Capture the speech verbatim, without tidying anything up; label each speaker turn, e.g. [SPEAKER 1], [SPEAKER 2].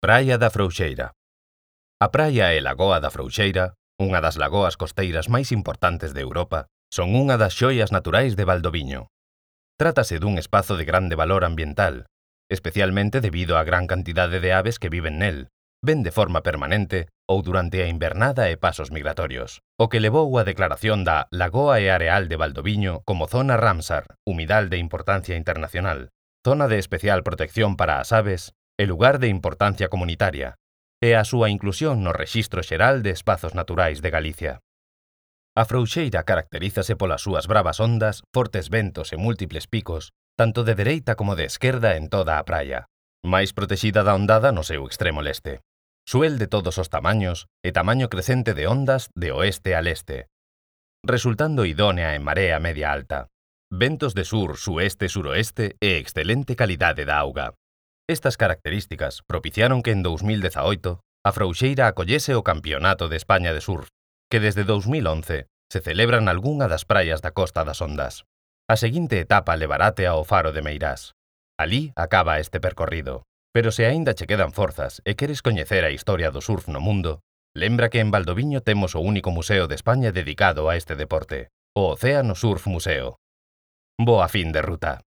[SPEAKER 1] Praia da Frouxeira. A praia e lagoa da Frouxeira, unha das lagoas costeiras máis importantes de Europa, son unha das xoias naturais de Valdoviño. Trátase dun espazo de grande valor ambiental, especialmente debido á gran cantidade de aves que viven nel, ben de forma permanente ou durante a invernada e pasos migratorios, o que levou á declaración da Lagoa e Areal de Valdoviño como zona Ramsar, humidal de importancia internacional, zona de especial protección para as aves e lugar de importancia comunitaria, e a súa inclusión no Rexistro Xeral de Espazos Naturais de Galicia. A Frouxeira caracterízase polas súas bravas ondas, fortes ventos e múltiples picos, tanto de dereita como de esquerda en toda a praia, máis protexida da ondada no seu extremo leste. Suel de todos os tamaños e tamaño crecente de ondas de oeste a leste, resultando idónea en marea media alta. Ventos de sur, sueste, suroeste e excelente calidade da auga. Estas características propiciaron que en dous mil dezaoito a Frouxeira acollese o Campionato de España de Surf, que desde dous mil once se celebra nalgunha das praias da Costa das Ondas. A seguinte etapa levarate ao Faro de Meirás. Alí acaba este percorrido. Pero se aínda che quedan forzas e queres coñecer a historia do surf no mundo, lembra que en Valdoviño temos o único museo de España dedicado a este deporte, o Océano Surf Museo. Boa fin de ruta.